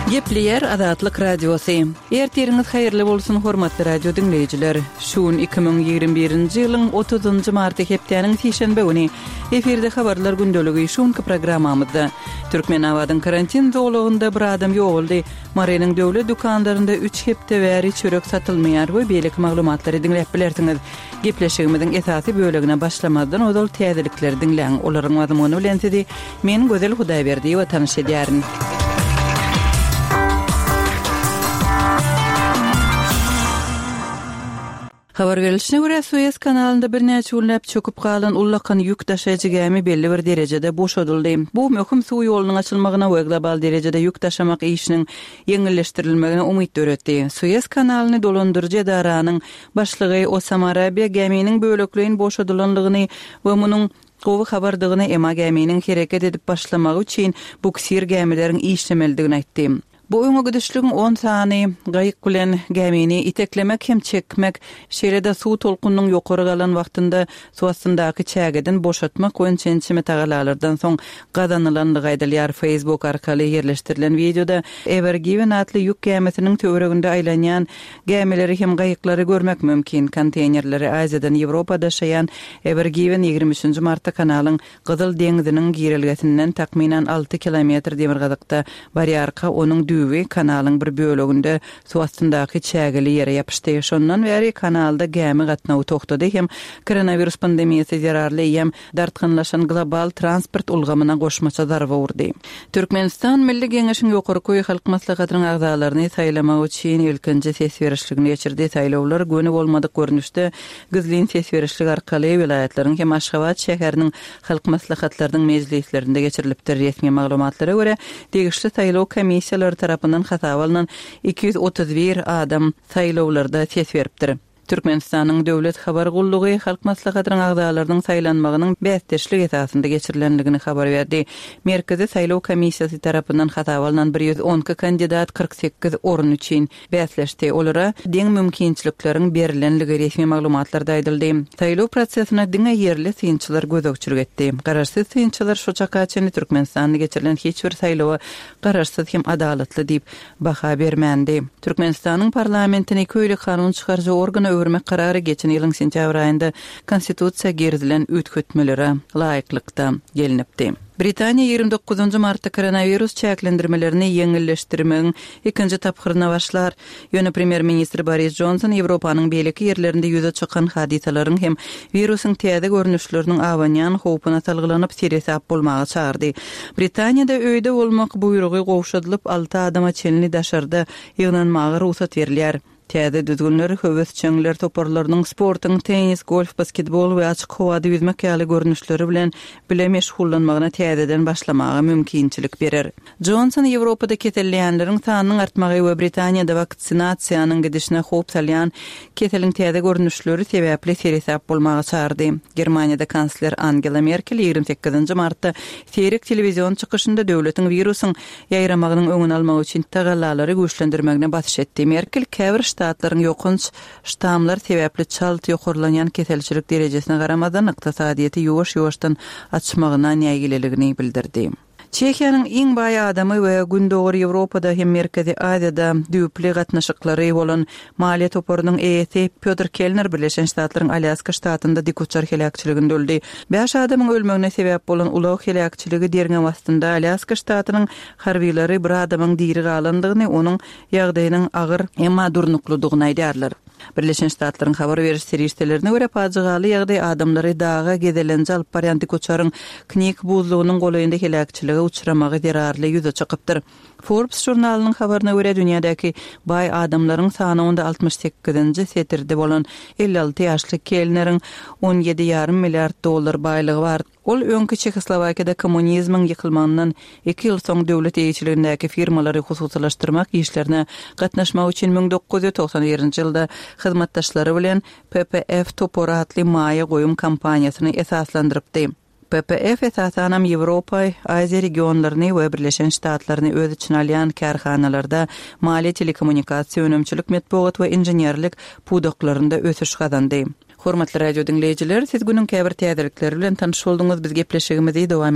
Gepleýär Azatlyk Radiosy. Ertiriňiz haýyrly bolsun, hormatly radio diňleýjiler. Şu gün 2021-nji ýylyň 30-njy marty hepdäniň sişenbe güni. Efirde habarlar gündeligi şu günki programmamyzda. Türkmenabadyň karantin zolagynda bir adam ýogaldy. Marynyň döwlet dükanlarynda üç hepde bäri çörek satylmaýar we beýleki maglumatlary diňläp bilersiňiz. Gepleşigimiziň esasy bölegine başlamazdan ozal täzelikleri diňläň. Olaryň mazmuny bilen sizi men Gözel Hudaýberdiýewa tanyş edýärin. Habar berlişine görä, Sues kanalynda birnäçe günläp çöküp galan ullakan ýük daşaýjy gämi belli bir derejede boşadyldy. Bu möhüm suw ýolunyň açylmagyna we global derejede ýük daşamak işiniň ýeňilleşdirilmegine umyt döretdi. Sues kanalyny dolandyryjy edaranyň başlygy Osama Rabia gäminiň bölekleýin boşadylandygyny we munuň gowy habardygyny, emma gäminiň hereket edip başlamagy üçin buksir gämileriň işlemelidigini aýtdy. Bu öňe gidişligiň on sany gaýyk bilen gämini iteklemek hem çekmek, şeýle-de suw tolkunynyň ýokary galan wagtynda suw astyndaky çägeden boşatmak boýunça ençeme tagallalardan soň gazanylandygy aýdylýar. Facebook arkaly ýerleşdirilen wideoda Ever Given atly ýük gämisiniň töwereginde aýlanýan gämileri hem gaýyklary görmek mümkin. Konteýnerleri Aziýadan Ýewropa daşaýan Ever Given 23 martda kanalyň Gyzyl deňziniň girelgesinden takmynan alty kilometr demirgazykda barýarka, onuň düýbi kanalyň bir böleginde suw astyndaky çägeli ýere ýapyşdy. Şondan bäri kanalda gämi gatnawy togtady hem koronawirus pandemiýasy zerarly eýýäm dartgynlaşan global transport ulgamyna goşmaça zarba urdy. Türkmenistan Milli Geňeşiň Ýokarky Halk Maslahatynyň agzalaryny saýlamak üçin ilkinji ses berişligini geçirdi. Saýlawlar göni bolmadyk görnüşde Gizlin ses berişlik arkaly welaýatlaryň hem Aşgabat şäheriniň Halk Maslahatlarynyň mejlislerinde geçirilipdir. Resmi maglumatlara görä, degişli saýlaw komissiýalary tarapyndan hasaba alnan 231 adam saýlawlarda ses beripdir. Türkmenistanyň Döwlet habar gullugy Halk Maslahatynyň agzalarynyň saýlanmagynyň bäsdeşlik esasynda geçirilendigini habar berdi. Merkezi saýlaw komissiýasy tarapyndan hasaba alnan 112 kandidat 48 orun üçin bäsleşdi. Olara deň mümkinçilikleriň berlenligi resmi maglumatlarda aýdyldy. Saýlaw prosesine diňe ýerli synçylar gözegçilik etdi. Garaşsyz synçylar şu çaka çenli Türkmenistanda geçirilen hiç bir saýlawa garaşsyz hem adalatly diýip baha bermändi. Türkmenistanyň parlamentini köýli kanun çykaryjy organa öwürmek karary geçen ýylyň sentýabr aýynda Konstitusiýa girizilen üýtgetmelere laýyklykda gelnipdi. Britaniýa 29 martda koronawirus çäklendirmelerini ýeňilleşdirmegiň ikinji tapgyryna başlar. Ýöne premýer-ministr Boris Jonson Ýewropanyň beýleki ýerlerinde ýüze çykan hadysalaryň hem wirusyň täze görnüşleriniň abanýan howpuna salgylanyp, seresap bolmaga çagyrdy. Britaniýada öýde bolmak buýrugy gowşadylyp, alty adama çenli daşarda ýygnanmaga rugsat berilýär. Täze düzgünler höwesjeňler toparlarynyň sportuň tennis, golf, basketbol we açyk howada ýüzmek ýaly görnüşleri bilen bile meşgullanmagyna täzeden başlamaga mümkinçilik berer. Jonson Ýewropada keselleýänleriň sanynyň artmagy we Britaniýada waksinasiýanyň gidişine howp salýan keseliň täze görnüşleri sebäpli seresap bolmaga çagyrdy. Germaniýada kansler Angela Merkel 28 martda seýrek telewizion çykyşynda döwletiň wirusyň ýaýramagynyň öňüni almak üçin tagallalary güýçlendirmegine basyş etdi. Merkel käbir ştatlaryň ýokanç ştamlar sebäpli çalt ýokarlanýan keselçilik derejesine garamazdan ykdysadyýeti ýuwaş-ýuwaşdan açmagyna nägileligini bildirdi. Çehiýanyň iň baý adamy we Gündogar Ýewropada hem Merkezi Aziýada düýpli gatnaşyklary bolan maliýe toparynyň eýesi Pýotr Kellner Birleşen Ştatlaryň Alýaska ştatynda dikuçar heläkçiliginde öldi. Bäş adamyň ölmegine sebäp bolan ulag heläkçiligi derňew astynda. Alýaska ştatynyň harbylary bir adamyň diri galandygyny, onuň ýagdaýynyň agyr, emma durnuklydygyny aýdýarlar. Birleşen Ştatlaryň habar beriş serişdelerine görä, pajygaly ýagdaý adamlary daga gezelenje alyp barýan dikuçaryň Knik buzlugynyň golaýynda heläkçilige uçramagy zerarly ýüze çykypdyr. Forbes žurnalynyň habaryna görä, dünýädäki baý adamlaryň sanawynda 68-nji setirde bolan 56 ýaşly Kellneriň on ýedi ýarym milliard dollar baýlygy bar. Ol öňki Çehoslowakiýada kommunizmiň ýykylmagyndan iki ýyl soň döwlet eýeçiligindäki firmalary hususylaşdyrmak işlerine gatnaşmak üçin 1991-nji ýylda hyzmatdaşlary bilen PPF topary atly maýa goýum kompaniýasyny esaslandyrypdy. PPF esasanam Ýewropa, Aziýa regionlaryny we Birleşen Ştatlaryny öz içine alýan kärhanalarda maliýe, telekommunikasiýa, önümçilik, metbugat we inženerlik pudaklarynda ösüş gazandy. Hormatly radio diňleýjiler, siz günüň käbir täzelikleri bilen tanyş bolduňyz, biz gepleşigimizi dowam etdirýäris.